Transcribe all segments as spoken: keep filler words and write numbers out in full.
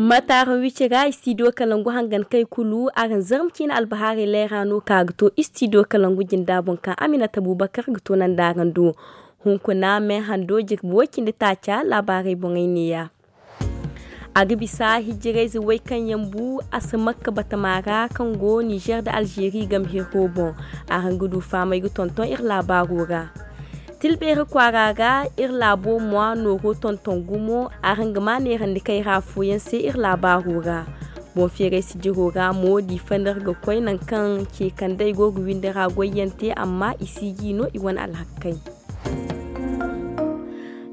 Mataara wici ra istidiyo kalangu hangan kay kulu araŋ zarma ciine albahaarey leera no ka ga to istidiyo kalangu jinda boŋ kaŋ aminata bubakar ga to nanda araŋ do. Hunkuna me hando jirbi way cindi taaca laabaarey boŋey neeya. A ga bisa hijirayze way kaŋ yaŋ bu asamakka batama ra kaŋ go nizer nda alzeeri game hirro boŋ. Araŋ ga du fahamay ga tonton iri laabaaro ra. Tilbeeri kwaara ra iri laabo mwa nooro tonton gumo. Araŋ ga ma neerandi kayra fooyaŋ se iri laabaaro ra. Boŋ feeray sijiro ra mo diifa no iri ga koy nangu kaŋ ce kandey go ga windi ra goyyaŋ te amma i si ji no i wane alhakkey.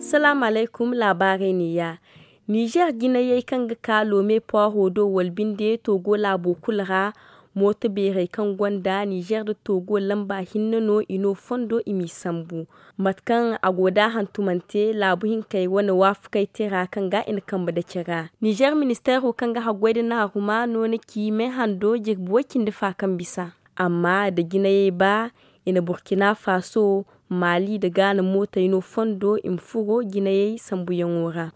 Salaamu alaykum. Laabaarey neeya. Nizer jinayey kaŋ ga ka loome poiro do wala binde togo laabo kulu ra. Mooto beerey kaŋ gonda nizer nda togo lamba hinne no i no fondo i m'i sambu. Mate kaŋ a go da hantumante laabu hinkey wane waafakey tira kaŋ ga i na kambe dace ra nizer ministeero kaŋ ga haggoy nda naaruma no na ci me hando jirbi way cindi fa kaŋ bisa. Amma nda jinayey ba i na burkina faso, maali nda gaana mootey no fondo i ma furo jinayey sambuyaŋo ra.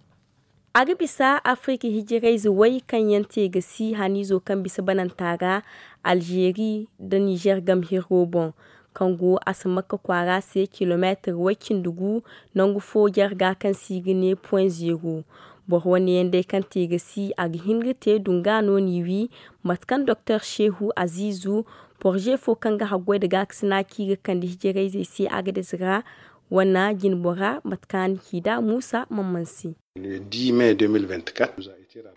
A ga bisa afirika hijirayze way kaŋ yaŋ te ga si haniizo kaŋ bisa bananta ra, alzeeri nda nizer game hirro boŋ, kaŋ go asamakka kwaara se kilomeetir way cindi gu. Nangu fo jarga kaŋ se i ga ne point zero. Boro wane yaŋ day kaŋ te ga si a ga hin ga te dunga no n'i wi. Mate kaŋ doktor shehu aziizu, porze fo kaŋ ga haggoy nda gaakasina kaŋ i ga kande hijirayzey se agades ra, wane jinbora mate kaŋ a na ci nd'a muusa mamman se.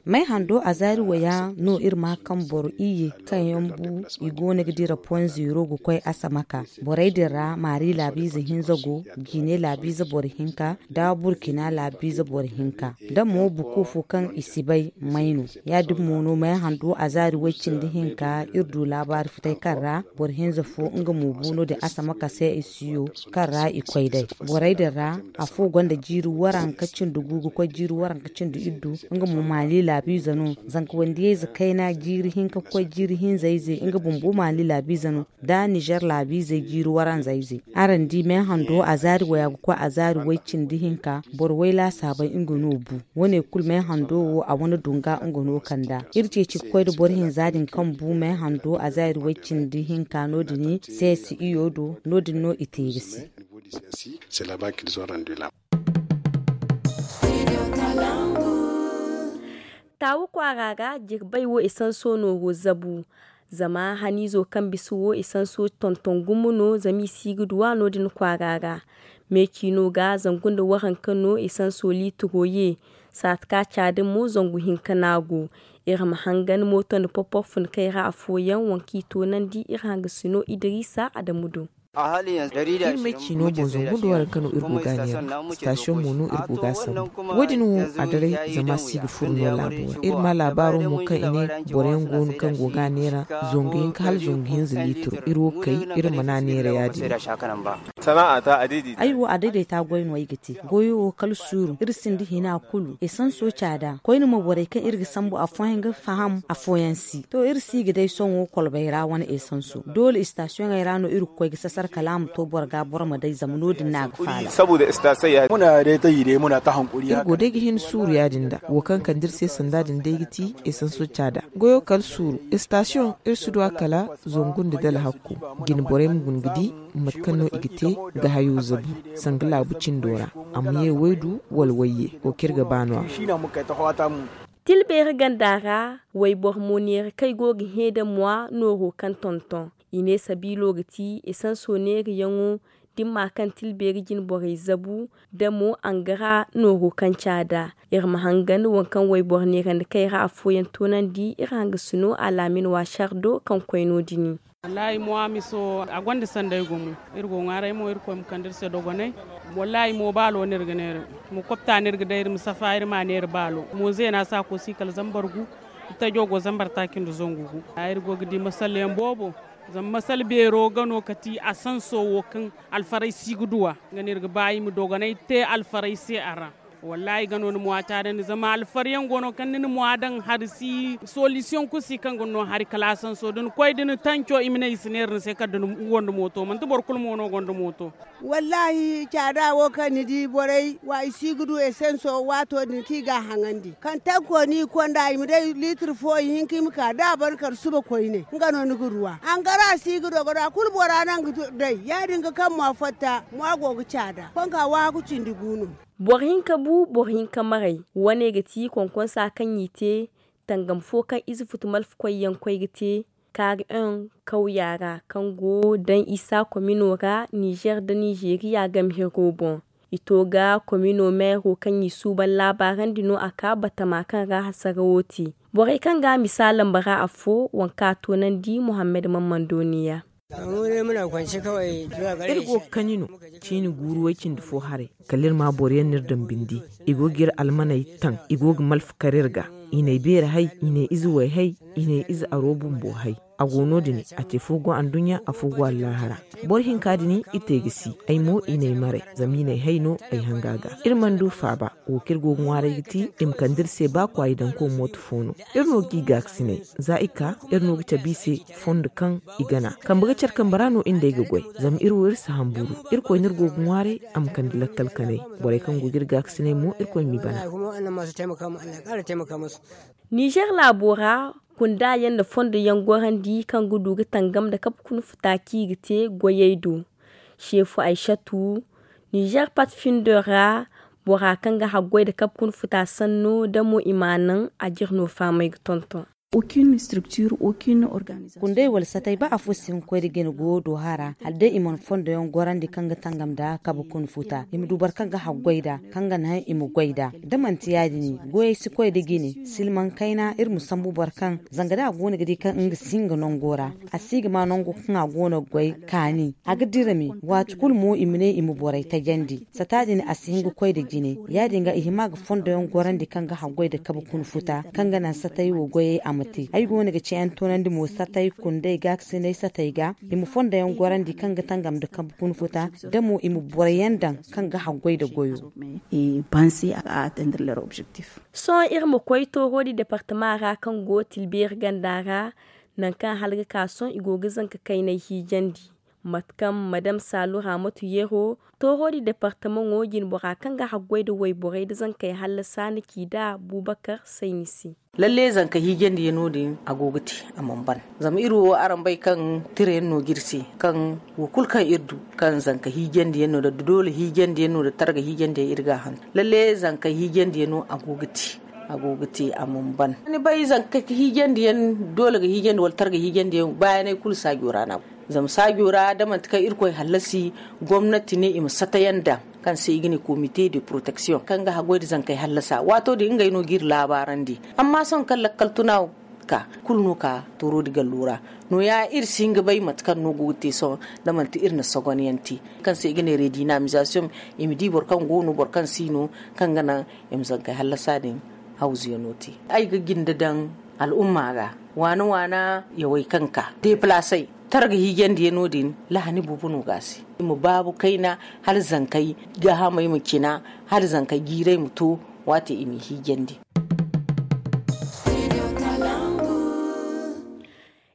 May hando a zaari waya no iri ma kaŋ boro iyye kaŋ yaŋ bu i go no ga dira point zero ga koy asamaka. Borey din ra maari laabiize hinza go, jiine laabiize boro hinka, nda burkina laabiize boro hinka, nda mo buku fo kaŋ i si bay may no. Ya- din mo no may hando a zaari way cindi hinka iri du laabaari futay kaŋ ra boro hinza fo nga mo bu no- din asamaka se i si yo kaŋ ra i koy day. Borey din ra afo gonda jiiri waranka cindi gu ga koy jiiri waranka cindi iddu. Nga mo maali laabiize no. Zanka wandiyayze kayna jiiri hinka ga koy jiiri hinza ize nga bumbo maali laabiize no. Da nizer laabiizey jiiri waranza ize. Araŋ di me hando a zaari waya ga koy a zaari way cindi hinka boro way laasaabey nga no bu. Wane kulu me hando wo a wane dunga nga no kanda iri ceeci ga koy nda boro hinza din kaŋ bu me hando a zaari way cindi hinka no- din. Seesi iyo do no- din no i te ga si. Taawu kwaara ga jirbay wo esanso nooro zabu. Zama haniizo kaŋ bisa wo esanso tonton gumo no zama i si ga duw'a no- din kwaara ra. Me ciino ga zangu nda waranka no esanso liitiro ye. Saati ka caada mo zangu hinka no a go. Iri ma hangan mooto nda popor fun kayra afooyaŋ waŋ kaŋ i toonandi iri hangasino idiriisa adamu do. Iri may ciino boŋ zangu nda waranka no iri go ga a neera. Sitasiyoŋ mo no iri go ga a sambu. Wo- din wo a daray zama a si ga furo no laabo ra iri ma laabaaro mo kaŋ i ne boro yaŋ go no kaŋ go ga a neera. Zangu hinka hala zangu hinza liitiro iri wo kay iri mana neera ya- din. Ay wo a dayday ta goy no ay ga te goyo wo kala suuru iri sinda hina kulu esanso caada koyne mo borey kaŋ iri ga sambu afooyaŋ ga faham afooyaŋ si to iri si ga day sohõ kolbey ra wane esanso doole istasiyoŋey ra no iri ga koy ga sasar kala a ma to boro ga boro ma day zama no- din no a ga faala. Iri go day ga hin suuru ya- din da wo kaŋ kande iri se sanda din day ga ti esanso caada goyo kala suuru istasiyoŋ iri si du a kala zangu nda dala hakku. Jine borey ma guna ga di mate kaŋ no i ga te ga hayo zabu sanga laabu cindo ra. A ma ye waydu wala wayye wo kaŋ iri ga ba no- ya. Tilbeeri ganda ra wayboro mo neera kaŋ ay go ga hẽ da mwa nooro kaŋ tonton i ne sabiilo ga ti esanso neerayaŋo. Da ni ma kaŋ tilbeeri jine borey zabu da mo angara nooro kaŋ caada. Iri ma hangan waŋ kaŋ wayboro neerandi kayra afooyaŋ toonandi iri hangasino alaamin waasar do kaŋ koy no- din. Wallaahi mo a miso a gonda sanday gumo. Iri go ŋwaaray mo irkoy ma kande iri se dogonay. Wallaahi mo baalo no iri ga neera. Mo kopta no iri ga day iri ma safa iri ma a neera baalo mo zeena saako si kala zambar gu. Itajo go zambar taaci nda zangu gu. Iri go ga di masalyaŋ boobo. Zama masal beero ga no kati a sanso wo kaŋ alfaray si ga duw'a. Nga no iri ga ba i ma dogonay te alfaray se a ra. Wallaahi ga no ni mwa caadandi zama alfariyaŋ go no kaŋ ni na mwa daŋ hari si solisiyoŋ kulu si kaŋ ga no hari kalaasanso da ni koy da ni tanco i ma ne i si neera ni se kala da ni wonda mooto manti boro kulu mo no gonda mooto. Wallaahi caada wo kaŋ ni di borey wa i si ga du esenso waato din kaŋ i ga a haŋandi kaŋ tanko no i konda i ma day liitir fo ihinka i ma ka da a ban kala suba koyne nga no ni ga ruwa hangara si ga dogo da kulu bora naŋ ga day ya- din ga kaŋ mwa fatta mwa go ga caada konka waahaku cindi gu no. Boro hinka bu boro hinka maray. Wane ga ti konkonsa kaŋ i te tangam fo kaŋ ize futu malfa koyyaŋ koy ga te kaari un kawya ra kaŋ go daŋ isa komino ra nizer nda nizeriya game hiro boŋ. I to ga komino meero kaŋ i suuban laabaarandi no a ka batama kaŋ ra hasara wo te. Borey kaŋ ga a misaala mba ra afo waŋ kaŋ a toonandi muhammad mammando niya. Iri go ga kaɲi no ciini guuru way-cindi fo haray kala iri ma boro yaŋ no iri daŋ bindi. I go ga iri almaney taŋ i go ga malfa kar iri ga. I n'ay beeri hay, i n'ay ize way hay, i n'ay ize aro bumbo hay. A go no- din, a ce fo go anduɲɲa, afo go allaahara. Boro hinka din, i te ga si. Ay mo i n'ay maray, zama i n'ay hay no ay hanga ga. Iri mana du faaba. Wo kaŋ iri go ga ŋwaaray ga ti i ma kande iri se ba kwaayi daŋ ko mooto fo no. Iri no ga i gaakasinay. Za i ka, iri no ga cabe i se fondo kaŋ i gana. Kambe ga care kambe ra no iri nd'ey ga goy. Zama iri wo iri si hamburu. Irkoy no iri go ga ŋwaaray a ma kande lakkal kanay. Borey kaŋ go ga iri gaakasinay mo irkoy m'i bana. Nizer laabo ra, kunda yaŋ nda fondo yaŋ gorandi kaŋ ga du ga tangam nda kabe kuna futa kaŋ i ga te goyey do. Seefu aysatu, nizer pat findo ra, bora kaŋ ga haggoy nda kabe kuna futa sanno da mo i m'a naŋ a jire no faamay ga tonton. Kunday wala satay ba afo si hin ga koy nda jine go do hara hala day i mana fondo yaŋ gorandi kaŋ ga tangam nda kabe kuna futa i ma du boro kaŋ ga haggoy nd'a kaŋ ga naŋ i ma goy nd'a. Da manti ya- din goyey si koy nda jine silmaŋ kayna iri ma sambu boro kaŋ zanga da a go no ga di kaŋ nga si nga nango ra, a si ga ma nango kaŋ a go no ga goy kaani a ga dira me. Waati kulu mo i ma ne i ma borey tajandi. Sata din a si hin ga koy nda jine. Ya- din ga i hima ga fondo yaŋ gorandi kaŋ ga haggoy nda kabe kuna futa kaŋ ga naŋ satay wo goyey a ma te ay go no ga ciyaŋ toonandi mo satay kunday gaakasinay satay ga. I ma fondo yaŋ gorandi kaŋ ga tangam nda kabe kuna futa da mo i ma boro yaŋ daŋ kaŋ ga haggoy nda goyo. Sohõ iri ma koy toorodi departama ra kaŋ go tilbeeri ganda ra, nangu kaŋ hala ga ka sohõ i go ga zanka kaynay hiijandi. Mate kaŋ madam saalu raamatu yeero, toorodi departamaŋo jinbora kaŋ ga haggoy nda wayborey nda zankey hallasa na ci nd'a buubakar sayni se. Lalle zanka hiijandi yaŋ no- din a go ga te a mana ban. Zama iri wo araŋ bay kaŋ tira yaŋ no ga iri se kaŋ wo kulu kaŋ iri du kaŋ zanka hiijandi yaŋ no nda doole hiijandi yaŋ no nda targa hiijandi yaŋ iri ga a hantum. Lalle zanka hiijandi yaŋ no a go ga te a go ga te a mana ban. Ni bay zanka hiijandi yaŋ doole ga hiijandi wala targa hiijandi yaŋ baayaney kulu saajo ra no a go. Zama saajo ra da manti kaŋ irkoy hallasi gomnati ne i ma satayaŋ daŋ kaŋ se i ga ne komite de protection kaŋ ga haggoy nda zankey hallasa waato din ngey no ga iri laabaarandi. Amma sohõ kaŋ lakkal tuna ka kulu no ka toorodi gallo ra. Nooya iri si hin ga bay mate kaŋ no go ga te sohõ da manti iri na sogonyaŋ te kaŋ se i ga ne redinamisation. I ma di boro kaŋ go no boro kaŋ si no kaŋ ga naŋ i ma zankey hallasa din hawzuyaŋo te. Ay ga jinde daŋ al'umma ga waana waana yawey kaŋ ka deepalasey targa hiijandi yaŋo din lahani boobo no ga a se. I ma baabu kayna hala zankey gaahamey ma cina hala zankey jiirey ma to waati i n'i hiijandi.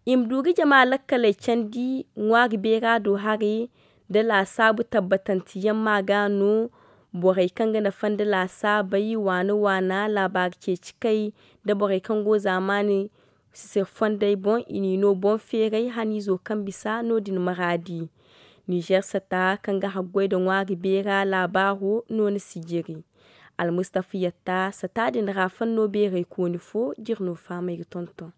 I ma du ga jama lakkaley candi ŋwaari beera do haray nda laasaabu tabbatanteyaŋ ma ga no. Borey kaŋ ga nafa nda laasaabey waana waana laabaari ceeci kay nda borey kaŋ go zaamaani sisir fondey boŋ i n'i no boŋ feeray haniizo kaŋ bisa no- din maraadi. Nizer sata kaŋ ga haggoy nda ŋwaari beera laabaaro no ni si jiri. Almustafa yatta sata din ra fanno beeraykooni fo jiri no fahamay ga tonton.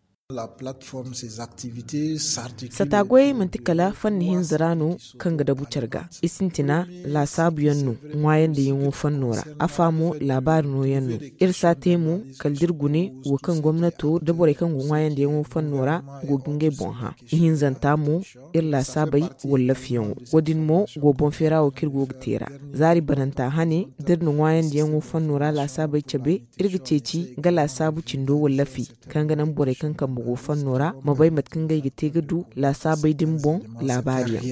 Sata goyey manti kala fanni hinza ra no kaŋ ga dabu care ga. I sintina laasaabuyaŋ no ŋwaayandiyaŋo fanno ra. Afa mo laabaari nooyaŋ no. Iri si a te mo kala da iri gune wo kaŋ gomnato nda borey kaŋ go ŋwaayandiyaŋo fanno ra go ga ngey boŋ hã. Ihinzanta mo iri laasaabey wallafiyaŋo wo- din mo go boŋ feera wo kaŋ iri go ga te ra. Zaari bananta hane da iri na ŋwaayandiyaŋo fanno ra laasaabey cabe iri ga ceeci nga laasaabu cindo wallafi kaŋ ga naŋ borey kaŋ kambe go fanno ra ma bay mate kaŋ ngey ga te ga du laasaabey din boŋ laabaariyaŋ.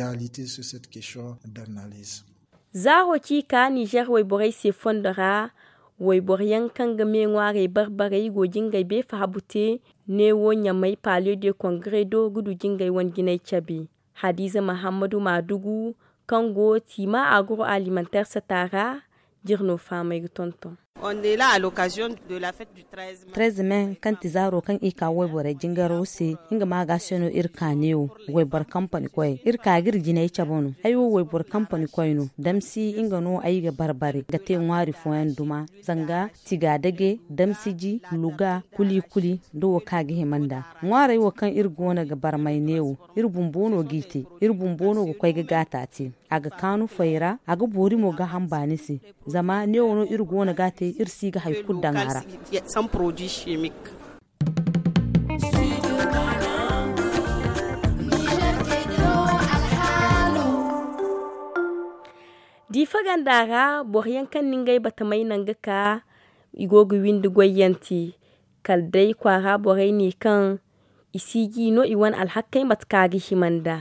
Zaaro ci ka nizer wayborey se fondo ra. Wayboro yaŋ kaŋ ga me ŋwaaray barbarey go jingay beefa habu te neewo ɲamay pale de kongare do ga du jingay wane jinay cabe. Hadiza mahammadu maadugu kaŋ go tiima aguro alimanteer sata ra. Jirno faamay ga tonton. Treze me kaŋ ti zaaro kaŋ i ka wayborey jingaro se, nga ma ga se no iri ka neewo wayboro kampani koyey iri ka ga iri jinay cabe no. Ay wo wayboro kampani koy no. Damsi nga no ay ga barbare ga te ŋwaari fooyaŋ duma, zanga tigaadage, damsiji, luga, kuli-kuli, nda wo kaŋ a ga hima nd'a. Ŋwaarey wo kaŋ iri go no ga barmay neewo, iri bumbo no g'i te. Iri bumbo no ga koy ga gaata te. A ga kaanu fay ra, a ga boori mo gaaham baani se. Zama neewo no iri go no ga a te, iri si ga hari kulu daŋ a ra. Diifa ganda ra boro yaŋ kaŋ na ngey batamey naŋ ga ka, i go ga windi goyyanti. Kala day kwaara borey ne kaŋ i si ji no i wane alhakkey mate kaŋ a ga hima nd'a.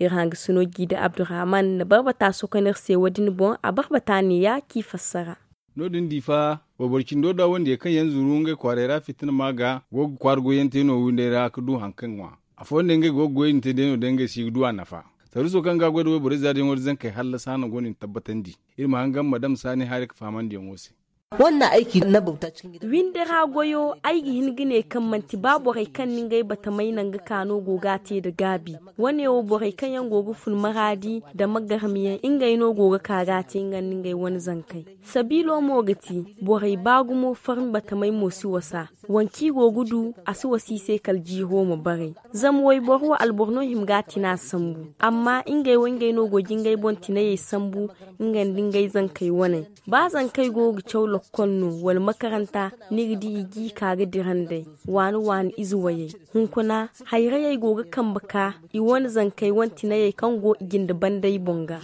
Iri hangasino jiida abdurrahman na barbata sokonir se wo- din boŋ a barbata neeya k'i fassara. No- din diifa wayboro cindo da wandiyey kaŋ yaŋ zuru ngey kwaaray ra fitina ma ga go ga kwaara goyyaŋ te no windey ra ga du hari kaŋ ŋwa. Afooyaŋ day ngey go ga goyey din te day no day ngey si ga du a nafa. Saruuso kaŋ ga a goy nda wayborey zaari yaŋo nda zankey hallasa no go no i na tabbatandi. Iri ma hangan ma dam saani haray ga fahamandiyaŋo se. Winde ra goyo ay ga hin ga ne kaŋ manti ba borey kaŋ na ngey batamey naŋ ga ka no go ga a te nda gaabi. Wane wo borey kaŋ yaŋ go ga fun maraadi nda magarmiyaŋ ngey no go ga ka ga a te nga nda ngey wane zankey. Sabiilo mo ga ti borey ba gumo farmi batamey mo si wasa. Waŋ kaŋ i go ga du a si wasa i se kala jiiro ma baray. Zama wayboro wo alboro no hima ga a tina sambu. Amma ngey wo ngey no go ga ngey boŋ tinayey sambu nga nda ngey zankey waney. Ba zankey go ga caw lokkol no wala makaranta, ni ga di i g'i ka ga dira nd'ey waani waani ize wayey. Hunkuna hayrayey go ga kambe ka i wane zankey wane tinayey kaŋ go i jinde bandey boŋ ga.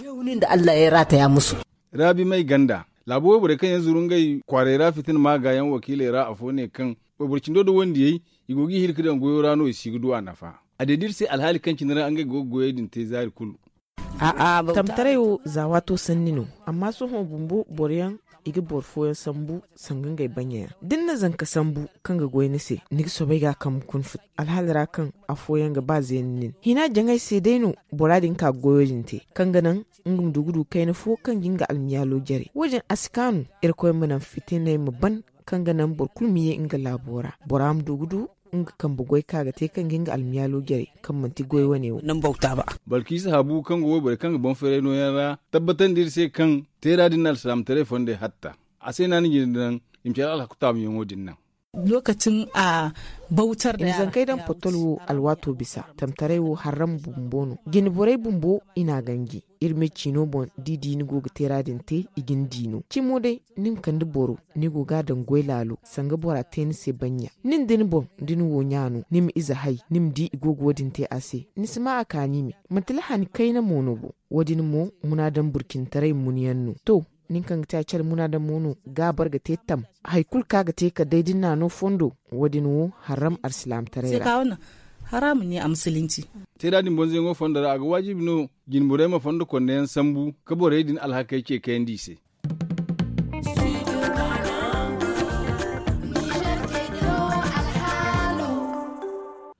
Raabi may ganda laabo wayborey kaŋ yaŋ zuru ngey kwaaray ra fitina ma ga yaŋ wakiiley ra afo ne kaŋ wayboro cindo nda wandiyey i go g'i hiri ga daŋ goyo ra no i si ga du a nafa. A deedi iri se alhaali kaŋ cine ra ngey go ga goyey din te zaari kulu. Tamtaray wo za waato sanni no. Amma sohõ bumbo boro yaŋ i ga boro fooyaŋ sambu sanga ngey banyayaŋ da ni na zanka sambu kaŋ ga goy ni se, ni ga soobay ga a kambe kuna fut. Alhaali ra kaŋ afooyaŋ ga ba zeeni nin hina jaŋay se day no bora din ka ga goyo din te kaŋ ga naŋ nga ma du ga du kayna fo kaŋ ga nga almiyaalo jare. Wo- din a si kaanu. Irkoy ma naŋ fitiney ma ban kaŋ ga naŋ boro kulu ma ye nga laabo ra. Bora ma du ga du nga kambe goy kaŋ a ga te kaŋ ga nga almiyaalo jare kaŋ manti goy wane wo. Balkiisa habu kaŋ go wayborey kaŋ ga boŋ feeray nooyaŋ ra tabbatandi iri se kaŋ teera din na alsilaamataray fondey hatta. A se no a na jine daŋ i ma care alhaku taamuyaŋo din naŋ. I ma zankey daŋ potol wo alwaato bisa tamtaray wo harram bumbo no. Jine borey bumbo i n'a ganji. Iri me ciino boŋ da i di ni go ga teera din te i ga ni di no cimo day. Ni ma kande boro ni go ga a daŋ goy laalo sanga bora te ni se bannya. Nin da ni boŋ da ni wo ɲa no ni ma ize hay ni ma di i go ga wo- din te a se. Ni si ma a kaani me manti lahani kayna mo no bo. Wo- din mo munaadaŋ burcintaray munyaŋ no to. Nin kaŋ ga te a care munaadaŋ mo no ga a bare ga te tam. Hari kulu kaŋ a ga te kala day da ni n'a no fondo. Wo- din wo haram alsilaamataray ra. Teera din bonzayaŋo fondo ra a ga waajibi no jinburey ma fondo konneyaŋ sambu ka borey din alhakey ce kayandi i se.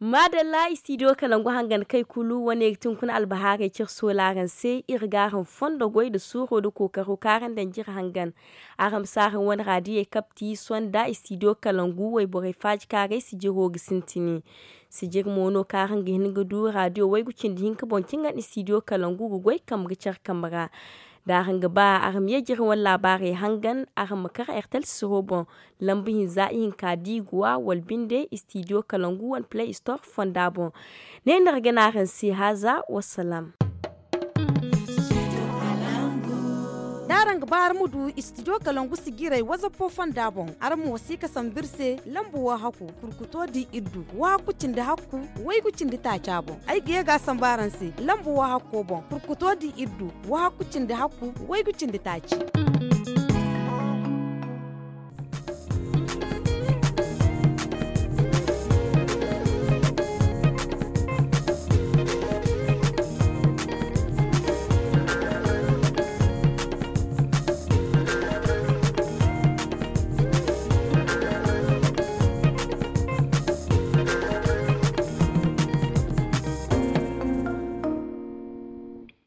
Maadalla istidiyo kalangu hangan kay kulu wane ga ti hunkuna albahaarey cire soolaaran se iri ga araŋ fondo goy nda suuro nda kookaro kaŋ araŋ daŋ jire hangan. Araŋ ma si araŋ wane raadiyey kabti sonda istidiyo kalangu wayborey faaji kaŋ a gay sijiro ga sintini. Sijir mo no kaŋ araŋ ga hin ga du raadiyo waygu cindi hinka boŋ cin ga nda istidiyo kalangu ga goy kambe ga care kambe ra. Da araŋ ga ba araŋ ma ye jire wane laabaarey hangan araŋ ma kar ertel siro boŋ. Lambu hinza ihinka diiguwa wala binde istidiyo kalangu wane play store fonda boŋ. Ne no iri ga ne araŋ se haaza wassalaam. Da araŋ ga ba araŋ ma du istidiyo kalangu sijiray wazappo fonda boŋ araŋ ma wasiika sambu iri se lambu wo hakku kurkuto di iri du wo hakku cindi hakku waygu cindi taaca boŋ. Ay ga ye ga a sambu araŋ se lambu wo hakko boŋ kurkuto di iri du wo hakku cindi hakku waygu cindi taaci.